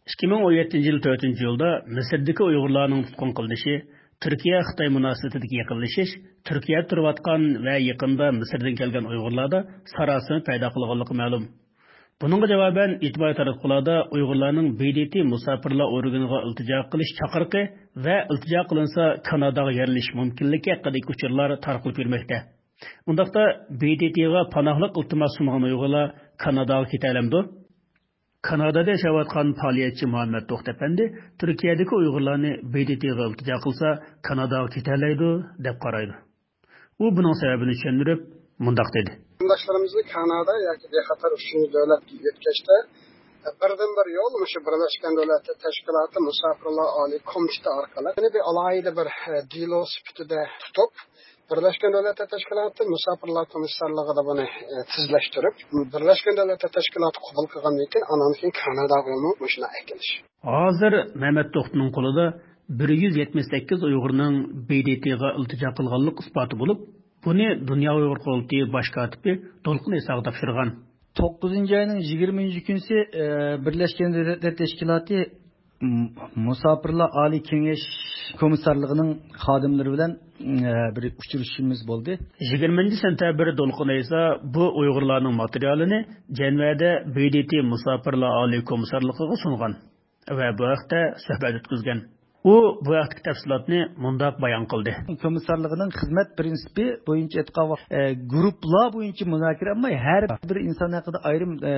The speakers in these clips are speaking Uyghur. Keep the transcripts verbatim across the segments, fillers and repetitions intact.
ئىككى مىڭ ئون يەتتىنچى يىل تۆتىنچى ئىيۇلدا مىسىردىكى ئۇيغۇرلارنىڭ تۇتقۇن قىلىنىشى، تۈركىيە-خىتاي مۇناسىۋىتىدىكى يېقىنلىشىش، تۈركىيەدە تۇرۇۋاتقان ۋە يېقىندا مىسىردىن كەلگەن ئۇيغۇرلاردا ساراسىمە پەيدا قىلغانلىقى مەلۇم. بۇنىڭغا جاۋابەن، ئىجتىمائىي تاراتقۇلاردا ئۇيغۇرلارنىڭ ب د ت مۇساپىرلار ئورگىنىغا ئىلتىجا قىلىش چاقىرىقى ۋە ئىلتىجا قىلىنسا كاناداغا يەرلىشىش مۇمكىنلىكى ھەققىدىكى ئۇچۇرلار تارقىلىپ يۈرمەكتە. ئۇنداقتا ب د ت غا پاناھلىق ئىلتىماس سۇنغان ئۇيغۇرلار كاناداغا كېتەلەمدۇ؟ كانادادا ياشاۋاتقان پائالىيەتچى مۇھەممەد توختى ئەپەندى تۈركىيەدىكى ئۇيغۇرلارنى ب د ت غا ئىلتىجا قىلسا كاناداغا كېتەلەيدۇ دەپ قارايدۇ. ئۇ بۇنىڭ سەۋەبىنى چۈشەندۈرۈپ مۇنداق دېدى. قېرىنداشلىرىمىزنى كانادا ياكى بىخەتەر ئۈچىنچى دۆلەتكە يۆتكەشتە، بىردىنبىر يول مۇشۇ بىرلەشكەن دۆلەتلەر تەشكىلاتى مۇساپىرلار ئالىي كومىتېتى ئارقىلىق، يەنى بىر ئالاھىدە بىر، دېلو سۈپىتىدە تۇتۇپ، بىرلەشكەن دۆلەتلەر تەشكىلاتى مۇساپىرلار كومىسسارلىقىدا بۇنى، تېزلەشتۈرۈپ، بىرلەشكەن دۆلەتلەر تەشكىلاتى قوبۇل قىلغاندىن كېيىن، ئانان كېيىن كاناداغىمۇ مۇشۇنداق ئەكېلىش. ھازىر مەمەت توختىنىڭ قولىدا بىر يۈز يەتمىش سەككىز ئۇيغۇرنىڭ ب د ت غا ئىلتىجا قىلغانلىق ئىسپاتى بولۇپ، بۇنى دۇنيا ئۇيغۇر قۇرۇلتىيى باش كاتىپى دولقۇن ئىساغا تاپشۇرغان. توققۇزىنچى ئاينىڭ يىگىرمىنچى كۈنىسى، ئە، بىرلەشكەن دۆلەتلەر تەشكىلاتى، م-، مۇساپىرلار ئالىي كېڭەش كومىسسارلىقىنىڭ خادىملىرى بىلەن، ئە، بىر ئۇچرىشىشىمىز بولدى. يىگىرمىنچى سېنتەبىر دولقۇن ئىسا بۇ ئۇيغۇرلارنىڭ ماتېرىيالىنى جەنۋەدە ب د ت مۇساپىرلار ئالىي كومىسسارلىقىغا سۇنغان ۋە بۇ ھەقتە سۆھبەت ئۆتكۈزگەن. ئۇ بۇ ھەقتىكى تەپسىلاتنى مۇنداق بايان قىلدى. كومىسسارلىقىنىڭ خىزمەت پىرىنسىپى بويىچە ئېيتقان ۋاق-، ئە، گۇرۇپپىلار بويىچە مۇزاكىرە، ئەمما ھەر بىر ئىنسان ھەققىدە ئايرىم، ئە،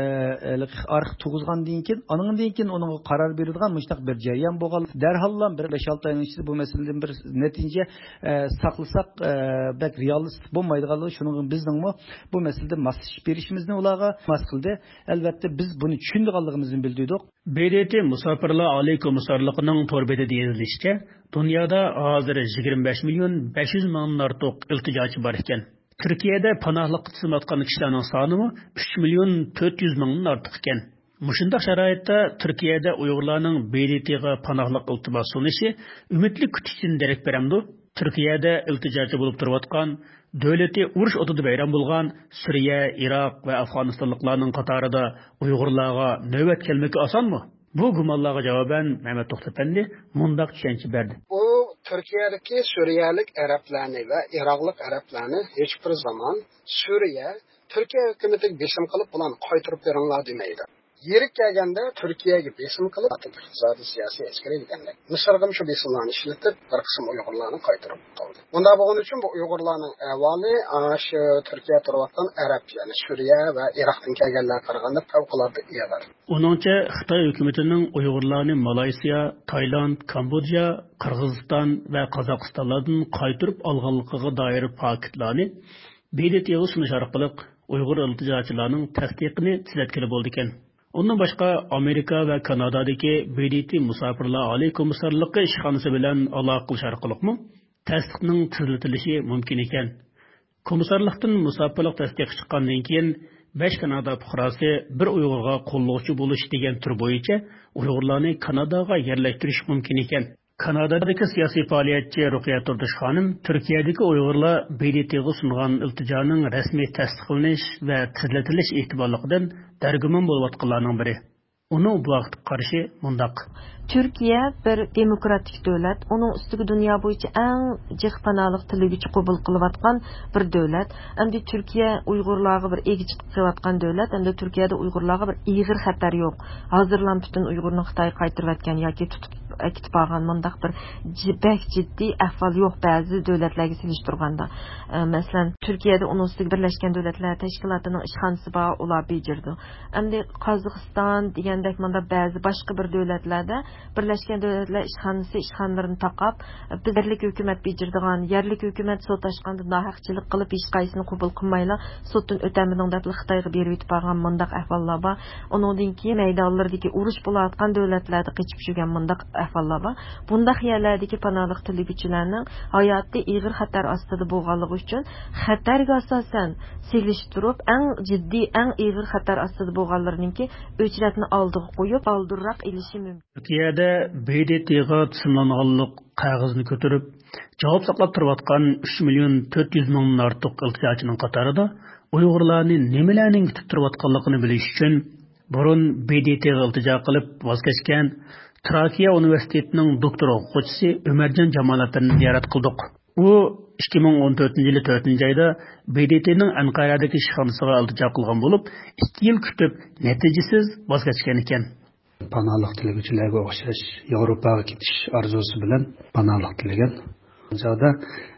ئە، ئارخىپ تۇرغۇزغاندىن كېيىن، ئانىڭدىن كېيىن ئۇنىڭغا قارار بېرىدىغان مۇشۇنداق بىر جەريان بولغان. دەرھاللا بىر بەش-ئالتە ئاينىڭ ئىچىدە بۇ مەسىلىدىن بىر نەتىجە، ئە، ساقلىساق، ئە، بەك رېئالىستىك بولمايدىغانلىقى، شۇنىڭغا بىزنىڭمۇ بۇ مەسىلىدە ماسلىشىپ بېرىشىمىزنى ئۇلارغا ماس قىلدى. ئەلۋەتتە، بىز بۇنى چۈشىنىدىغانلىقىمىزنى بىلدۈردۇق. ب د ت مۇساپىرلار ئالىي كومىسسارلىقىنىڭ تور بېتىدە يېزىلىشىچە، دۇنيادا ھازىر يىگىرمە بەش مىليون بەش يۈز مىڭدىن ئارتۇق ئىلتىجاچى بار ئىكەن. تۈركىيەدە پاناھلىققا تىزىملاتقان كىشىلەرنىڭ سانىمۇ ئۈچ مىليون تۆت يۈز مىڭدىن ئارتۇق ئىكەن. مۇشۇنداق شارائىتتا تۈركىيەدە ئۇيغۇرلارنىڭ ب د ت غا پاناھلىق ئىلتىماس سۇنۇشى ئۈمىدلىك كۈتۈشتىن دېرەك بېرەمدۇ؟ تۈركىيەدە ئىلتىجاچى بولۇپ تۇرۇۋاتقان، دۆلىتى ئۇرۇش ئوتىدا ۋەيران بولغان سۈرىيە، ئىراق ۋە ئافغانىستانلىقلارنىڭ قاتارىدا ئۇيغۇرلارغا نۆۋەت كەلمىكى ئاسانمۇ؟ بۇ گۇمانلارغا جاۋابەن مەمەت توختى ئەپەندى مۇنداق چۈشەنچە بەردى. ئۇ تۈركىيەدىكى سۈرىيەلىك ئەرەبلەرنى ۋە ئىراقلىق ئەرەبلەرنى ھېچبىر زامان سۈرىيە تۈركىيە ھۆكۈمىتىگە بېسىم قىلىپ، بۇلارنى قايتۇرۇپ بېرىڭلار دېمەيدۇ. يېرى كەلگەندە تۈركىيەگە بېسىم قىلىپ، ئىقتىسادىي، سىياسىي، ئەسكىرىي دېگەندەك، مىسىرغىمۇ شۇ بېسىملارنى ئىشلىتىپ، بىر قىسىم ئۇيغۇرلارنى قايتۇرۇپ قالدى. بۇنداق بولغىنى ئۈچۈن بۇ ئۇيغۇرلارنىڭ ئەھۋالى ئانا شۇ تۈركىيە تۇرۇۋاتقان ئەرەب، يەنى سۈرىيە ۋە ئىراقتىن كەلگەنلەرگە قارىغاندا پەۋقۇلئاددە ئېغىر. ئۇنىڭچە، خىتاي ھۆكۈمىتىنىڭ ئۇيغۇرلارنى مالايسىيا، تايلاند، كامبودژا، قىرغىزىستان ۋە قازاقىستانلاردىن قايتۇرۇپ ئالغانلىقىغا دائىر پاكىتلارنى ب د ت غا سۇنۇش ئارقىلىق ئۇيغۇر ئىلتىجاچىلارنىڭ تەستىقىنى تېزلەتكىلى بولىدىكەن. ئۇندىن باشقا، ئامېرىكا ۋە كانادادىكى ب د ت مۇساپىرلار ئالىي كومىسسارلىقى ئىشخانىسى بىلەن ئالاقە قىلىش ئارقىلىقمۇ تەستىقنىڭ تېزلىتىلىشى مۇمكىن ئىكەن. كومىسسارلىقتىن مۇساپىرلىق تەستىقى چىققاندىن كېيىن، بەش كانادا پۇقراسى بىر ئۇيغۇرغا قوللىغۇچى بولۇش دېگەن تۈر بويىچە ئۇيغۇرلارنى كاناداغا يەرلەشتۈرۈش مۇمكىن ئىكەن. كانادادىكى سىياسىي پائالىيەتچى رۇقىيە تۇردۇش خانىم تۈركىيەدىكى ئۇيغۇرلار ب د ت غا سۇنغان ئىلتىجانىڭ رەسمىي تەستىقلىنىش ۋە تېزلىتىلىش ئېھتىماللىقىدىن دەرگۇمان بولۇۋاتقانلارنىڭ بىرى. ئۇنىڭ بۇ ھەقتىكى قارىشى مۇنداق. تۈركىيە بىر دېموكراتىك دۆلەت، ئۇنىڭ ئۈستىگە دۇنيا بويىچە ئەڭ جىق پاناھلىق تىلىگۈچى قوبۇل قىلىۋاتقان بىر دۆلەت. ئەمدى تۈركىيە ئۇيغۇرلارغا بىر ئىگە چىقىۋاتقان دۆلەت، ئەمدى تۈركىيەدە ئۇيغۇرلارغا بىر ئېغىر خەتەر يوق. ھازىرلا پۈتۈن ئۇيغۇرنى خىتايغا قايتۇرۇۋەتكەن ياكى تۇتۇپ ئەكېتىپ بارغان مۇنداق بىر جى-، بەك جىددىي ئەھۋال يوق بەزى دۆلەتلەرگە سېلىشتۇرغاندا. ئە، مەسىلەن، تۈركىيەدە ئۇنىڭ ئۈستىگە بىرلەشكەن دۆلەتلەر تەشكىلاتىنىڭ ئىشخانىسى بار، ئۇلار بېجىرىدۇ. ئەمدى قازاقىستان دېگەندەك مۇنداق بەزى باشقا بىر دۆلەتلەردە بىرلەشكەن دۆلەتلەر ئىشخانىسى ئىشخانىلىرىنى تاقاپ، بىز يەرلىك ھۆكۈمەت بېجىرىدىغان، يەرلىك ھۆكۈمەت سوت ئاچقاندا ناھەقچىلىك قىلىپ، ھېچقايسىنى قوبۇل قىلمايلا، سوتتىن ئۆتەلمىدىڭ دەپلا خىتايغا بېرىۋېتىپ بارغان مۇنداق ئەھۋاللار بار. ئۇنىڭدىن كېيىن مەيدانلىرىدىكى ئۇرۇش بولۇۋاتقان دۆلەتلەردە قېچىپ يۈرگەن مۇنداق ئەھۋاللار بار. بۇنداق يەرلەردىكى پاناھلىق تىلىگۈچىلەرنىڭ ھاياتى ئېغىر خەتەر ئاستىدا بولغانلىقى ئۈچۈن، خەتەرگە ئاساسەن سېلىشتۇرۇپ، ئەڭ جىددىي، ئەڭ ئېغىر خەتەر ئاستىدا بولغانلىرىنىڭكى ئۆچرەتنى ئالدىغا قويۇپ، بالدۇرراق ئېلىشى مۇمكىن. تۈركىيەدە ب د ت غا تىزىملانغانلىق قەغىزىنى كۆتۈرۈپ، جاۋاب ساقلاپ تۇرۇۋاتقان ئۈچ مىليون تۆت يۈز مىڭدىن ئارتۇق ئىلتىجاچىنىڭ قاتارىدا ئۇيغۇرلارنى نېمىلەرنىڭ كۈتۈپ تۇرۇۋاتقانلىقىنى بىلىش ئۈچۈن، بۇرۇن ب د ت غا ئىلتىجا قىلىپ ۋاز كەچكەن تراكىيە ئۇنىۋېرسىتېتىنىڭ دوكتور ئوقۇغۇچىسى ئۆمەرجان جامالەپەندىنى زىيارەت قىلدۇق. ئۇ ئىككى مىڭ ئون تۆتىنچى يىلى تۆتىنچى ئايدا ب د ت نىڭ ئەنقەرەدىكى ئىشخانىسىغا ئىلتىجا قىلغان بولۇپ، ئىككى يىل كۈتۈپ، نەتىجىسىز ۋاز كەچكەنىكەن. پاناھلىق تىلىگۈچىلەرگە ئوخشاش ياۋروپاغا كېتىش ئارزۇسى بىلەن پاناھلىق تىلىگەن. شۇ چاغدا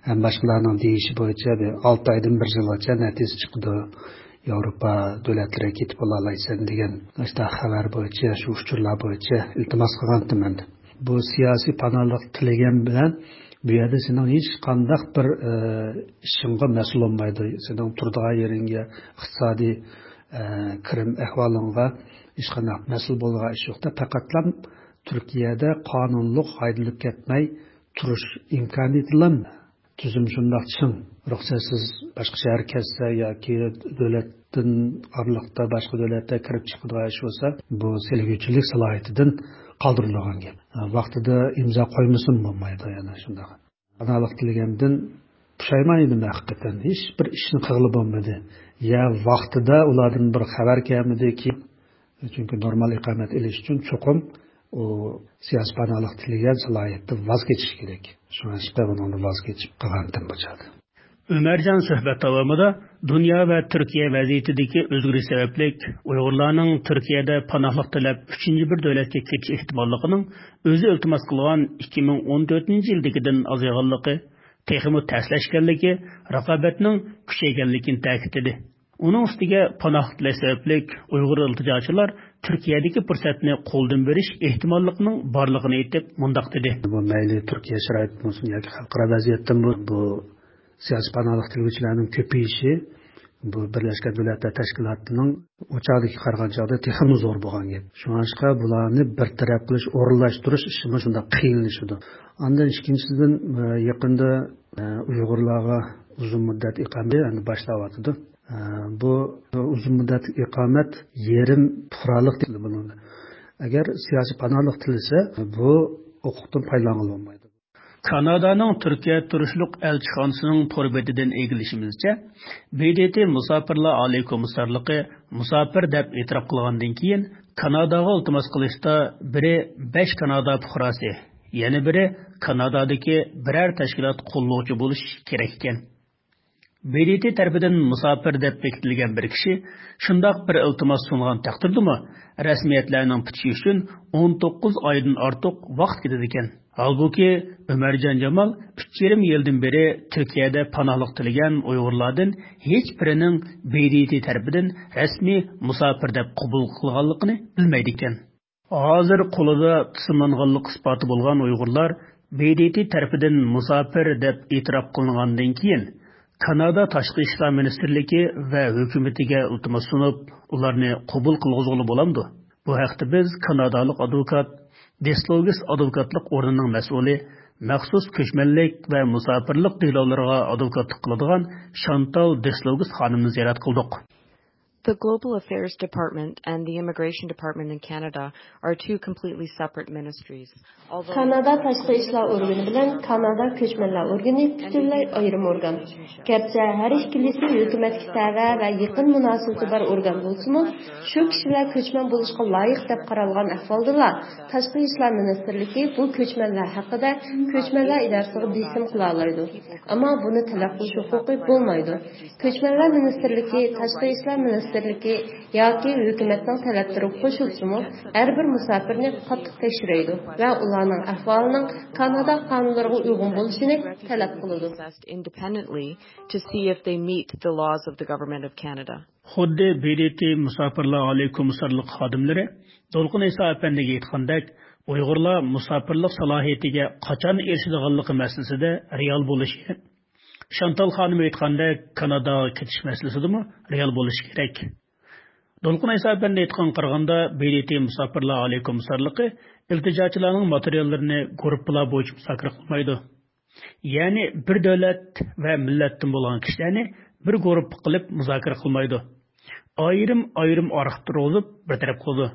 ھەم باشقىلارنىڭ دېيىشى بويىچە بىر ئالتە ئايدىن بىر يىلغىچە نەتىجە چىقىدۇ. ياۋروپا دۆلەتلىرىگە كېتىپ بولالايسەن دېگەن ئاشۇنداق خەۋەر بويىچە، شۇ ئۇچۇرلار بويىچە ئىلتىماس قىلغانتىم مەن. بۇ سىياسىي پاناھلىق تىلىگەن بىلەن بۇ يەردە سېنىڭ ھېچقانداق بىر، ئە، ئىشىڭغا مەسئۇل بولمايدۇ. سېنىڭ تۇرىدىغان يېرىڭگە، ئىقتىسادىي، ئە، كىرىم ئەھۋالىڭغا ھېچقانداق مەسئۇل بولىدىغان ئىش يوق-تا. پەقەتلا تۈركىيەدە قانۇنلۇق ھايدىلىپ كەتمەي تۇرۇش ئىمكانىيىتىلا تۈزۈم شۇنداق چىڭ. رۇخسەتسىز باشقا شەھەرگە كەتسە ياكى دۆلەتتىن ئارىلىقتا باشقا دۆلەتتە كىرىپ چىقىدىغان ئىش بولسا، بۇ تىلىگۈچىلىك سالاھىيىتىدىن قالدۇرۇلىدىغان گەپ. ۋاقتىدا ئىمزا قويمىسىمۇ بولمايدۇ يەنە شۇنداق. پاناھلىق تىلىگەندىن پۇشايمان يېدىم ھەقىقەتەن. ھېچ بىر ئىشنى قىلغىلى بولمىدى. يا ۋاقتىدا ئۇلاردىن بىر خەۋەر كەلمىدى، كېيىن، چۈنكى نورمال ئىقامەت ئېلىش ئۈچۈن چوقۇم ئۇ سىياسىي پاناھلىق تىلىگەن سالاھىيەتتىن ۋاز كېچىش كېرەك. شۇڭلاشقا بۇنىڭدىن ۋاز كېچىپ قالغانتىم بۇ چاغدا. ئۆمەرجان سۆھبەت داۋامىدا دۇنيا ۋە تۈركىيە ۋەزىيىتىدىكى ئۆزگىرىش سەۋەبلىك ئۇيغۇرلارنىڭ تۈركىيەدە پاناھلىق تىلەپ ئۈچىنچى بىر دۆلەتكە كېتىش ئېھتىماللىقىنىڭ ئۆزى ئىلتىماس قىلغان ئىككى مىڭ ئون تۆتىنچى يىلدىكىدىن ئازايغانلىقى، تېخىمۇ تەسلەشكەنلىكى، رىقابەتنىڭ كۈچەيگەنلىكىنى تەكىتلىدى. ئۇنىڭ ئۈستىگە پاناھلىق تىلەش سەۋەبلىك ئۇيغۇر ئىلتىجاچىلار تۈركىيەدىكى پۇرسەتنى قولدىن بېرىش ئېھتىماللىقىنىڭ بارلىقىنى ئېيتىپ مۇنداق دېدى. بۇ مەيلى تۈركىيە شارائىتىدىن بولسۇن ياكى خەلقئارا ۋەزىيەتتىن بۇ، بۇ سىياسىي پاناھلىق تىلىگۈچىلەرنىڭ كۆپىيىشى بۇ بىرلەشكەن دۆلەتلەر تەشكىلاتىنىڭ ئۇ چاغدىكى قارىغان چاغدا تېخىمۇ زور بولغان گەپ. شۇڭلاشقا بۇلارنى بىر تەرەپ قىلىش، ئورۇنلاشتۇرۇش ئىشىمۇ شۇنداق قىيىنلىشىدۇ. ئاندىن ئىككىنچىدىن، ئە، يېقىندا، ئە، ئۇيغۇرلارغا ئۇزۇن مۇددەت ئىقامەت ئەمدى باشلاۋاتىدۇ. ئە، بۇ ئۇزۇن مۇددەتلىك ئىقامەت يېرىم پۇقرالىق دېيىلىدۇ بۇنىڭدا. ئەگەر سىياسىي پاناھلىق تىلىسە، بۇ ھوقۇقتىن پايدىلانغىلى بولمايدۇ. كانادانىڭ تۈركىيە تۇرۇشلۇق ئەلچىخانىسىنىڭ تور بېتىدىن ئىگىلىشىمىزچە، ب د ت مۇساپىرلار ئالىي كومىسسارلىقى مۇساپىر دەپ ئېتىراپ قىلغاندىن كېيىن، كاناداغا ئىلتىماس قىلىشتا بىرى بەش كانادا پۇقراسى، يەنە بىرى كانادادىكى بىرەر تەشكىلات قوللىغۇچى بولۇشى كېرەك ئىكەن. ب د ت تەرىپىدىن مۇساپىر دەپ بېكىتىلگەن بىر كىشى شۇنداق بىر ئىلتىماس سۇنغان تەقدىردىمۇ، رەسمىيەتلەرنىڭ پۈتۈشى ئۈچۈن ئون توققۇز ئايدىن ئارتۇق ۋاقىت كېتىدىكەن. ھالبۇكى، ئۆمەرجان جامال ئۈچ يېرىم يىلدىن بېرى تۈركىيەدە پاناھلىق تىلىگەن ئۇيغۇرلاردىن ھېچ بىرىنىڭ ب د ت تەرىپىدىن رەسمىي مۇساپىر دەپ قوبۇل قىلغانلىقىنى بىلمەيدىكەن. ھازىر قولىدا تىزىملانغانلىق ئىسپاتى بولغان ئۇيغۇرلار ب د ت تەرىپىدىن مۇساپىر دەپ ئېتىراپ قىلىنغاندىن كېيىن، كانادا تاشقى ئىشلار مىنىستىرلىكى ۋە ھۆكۈمىتىگە ئىلتىماس سۇنۇپ، ئۇلارنى قوبۇل قىلغۇزغىلى بولامدۇ؟ بۇ ھەقتە بىز كانادالىق ئادۋوكات، دېسلوگىس ئادۋوكاتلىق ئورنىنىڭ مەسئۇلى، مەخسۇس كۆچمەنلىك ۋە مۇساپىرلىق دېلولىرىغا ئادۋوكاتلىق قىلىدىغان شانتال دېسلوگىس خانىمنى زىيارەت قىلدۇق. The Global Affairs Department and the Immigration Department in Canada are two completely separate ministries. كانادا تاشقى ئىشلار ئورگىنى بىلەن كانادا كۆچمەنلەر ئورگىنى پۈتۈنلەي ئايرىم ئورگان. گەرچە ھەر ئىككىلىسى ھۆكۈمەتكە تەۋە ۋە يېقىن مۇناسىۋىتى بار ئورگان بولسىمۇ، شۇ كىشىلەر كۆچمەن بولۇشقا لايىق دەپ قارالغان ئەھۋالدىلا، تاشقى ئىشلار مىنىستىرلىكى بۇ كۆچمەنلەر ھەققىدە كۆچمەنلەر ئىدارىسىغا بېسىم قىلالايدۇ. ئەمما بۇنى تەلەپ قىلىش ھوقۇقى بولمايدۇ. كۆچمەنلەر مىنىستىرلىكى، تاشقى ئىشلار مىنىستىرلىكى ياكى ھۆكۈمەتنىڭ تەلەپلىرىگە قوشۇلسىمۇ، ھەر بىر مۇساپىرنى قاتتىق تەكشۈرەيدۇ ۋە ئۇلارنىڭ ئەھۋالىنىڭ كانادا قانۇنلىرىغا ئۇيغۇن بولۇشىنى تەلەپ قىلىدۇ. Independently to see if they meet the laws of the Government of Canada. خۇددى ب د ت مۇساپىرلار ئالىي كومىسسارلىق خادىملىرى دولقۇن ئەيسا ئەپەندىگە ئېيتقاندەك، ئۇيغۇرلار مۇساپىرلىق سالاھىيىتىگە قاچان ئېرىشىدىغانلىقى مەسىلىسىدە رېئال بولۇشى، شانتال خانىم ئېيتقاندەك، كاناداغا كېتىش مەسىلىسىدىمۇ رېئال بولۇشى كېرەك. دولقۇن ئەيسا ئەپەندى ئېيتقانغا قارىغاندا، ب د ت مۇساپىرلار ئالىي كومىسسارلىقى ئىلتىجاچىلارنىڭ ماتېرىياللىرىنى گۇرۇپپىلار بويىچە مۇزاكىرە قىلمايدۇ. يەنى بىر دۆلەت ۋە مىللەتتىن بولغان كىشىلەرنى بىر گۇرۇپپا قىلىپ مۇزاكىرە قىلمايدۇ. ئايرىم-ئايرىم ئارخىپ تۇرغۇزۇپ بىر تەرەپ قىلىدۇ.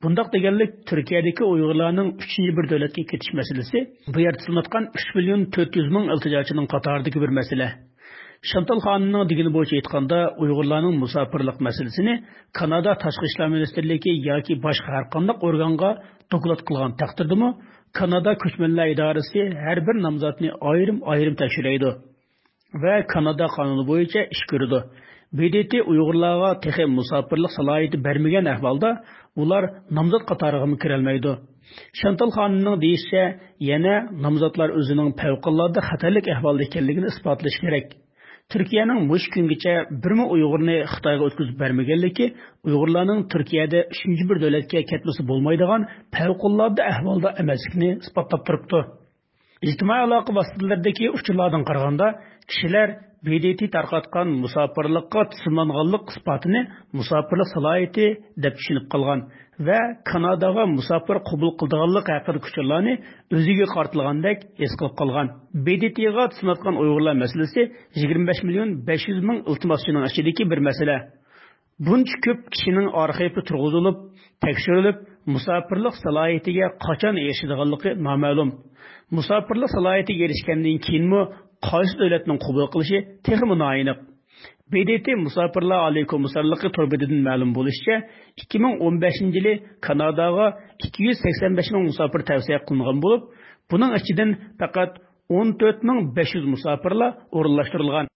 بۇنداق دېگەنلىك، تۈركىيەدىكى ئۇيغۇرلارنىڭ ئۈچىنچى بىر دۆلەتكە كېتىش مەسىلىسى بۇ يەردە سېلىنىۋاتقان ئۈچ مىليون تۆت يۈز مىڭ ئىلتىجاچىنىڭ قاتارىدىكى بىر مەسىلە. شانتال خانىمنىڭ دېگىنى بويىچە ئېيتقاندا، ئۇيغۇرلارنىڭ مۇساپىرلىق مەسىلىسىنى كانادا تاشقى ئىشلار مىنىستىرلىكى ياكى باشقا ھەر قانداق ئورگانغا دوكلات قىلغان تەقدىردىمۇ، كانادا كۆچمەنلەر ئىدارىسى ھەر بىر نامزاتنى ئايرىم-ئايرىم تەكشۈرەيدۇ ۋە كانادا قانۇنى بويىچە ئىش كۆرىدۇ. ب د ت ئۇيغۇرلارغا تېخى مۇساپىرلىق سالاھىيىتى بەرمىگەن ئەھۋالدا ئۇلار نامزات قاتارىغىمۇ كىرەلمەيدۇ. شانتال خانىمنىڭ دېيىشىچە، يەنە نامزاتلار ئۆزىنىڭ پەۋقۇلئاددە خەتەرلىك ئەھۋالدا ئىكەنلىكىنى ئىسپاتلىشى كېرەك. تۈركىيەنىڭ مۇشۇ كۈنگىچە بىرمۇ ئۇيغۇرنى خىتايغا ئۆتكۈزۈپ بەرمىگەنلىكى ئۇيغۇرلارنىڭ تۈركىيەدە ئۈچىنچى بىر دۆلەتكە كەتمىسە بولمايدىغان پەۋقۇلئاددە ئەھۋالدا ئەمەسلىكىنى ئىسپاتلاپ تۇرۇپتۇ. ئىجتىمائىي ئالاقە ۋاسىتىلىرىدىكى ئۇچۇرلاردىن قارىغاندا، كىشىلەر ب د ت تارقاتقان مۇساپىرلىققا تىزىملانغانلىق ئىسپاتىنى مۇساپىرلىق سالاھىيىتى دەپ چۈشىنىپ قالغان ۋە كاناداغا مۇساپىر قوبۇل قىلىدىغانلىق ھەققىدىكى ئۇچۇرلارنى ئۆزىگە قارىتىلغاندەك ھېس قىلىپ قالغان. ب د ت غا تىزىملاتقان ئۇيغۇرلار مەسىلىسى يىگىرمە بەش مىليون بەش يۈز مىڭ ئىلتىماسچىنىڭ ئىچىدىكى بىر مەسىلە. بۇنچە كۆپ كىشىنىڭ ئارخىپى تۇرغۇزۇلۇپ، تەكشۈرۈلۈپ، مۇساپىرلىق سالاھىيىتىگە قاچان ئېرىشىدىغانلىقى نامەلۇم. مۇساپىرلىق سالاھىيىتىگە ئېرىشكەندىن كېيىنمۇ قايسى دۆلەتنىڭ قوبۇل قىلىشى تېخىمۇ نائېنىق. ب د ت مۇساپىرلار ئالىي كومىسسارلىقى تور بېتىدىن مەلۇم بولۇشىچە، ئىككى مىڭ ئون بەشىنچى يىلى كاناداغا ئىككى يۈز سەكسەن بەش مىڭ مۇساپىر تەۋسىيە قىلىنغان بولۇپ، بۇنىڭ ئىچىدىن پەقەت ئون تۆت مىڭ بەش يۈز مۇساپىرلا ئورۇنلاشتۇرۇلغان.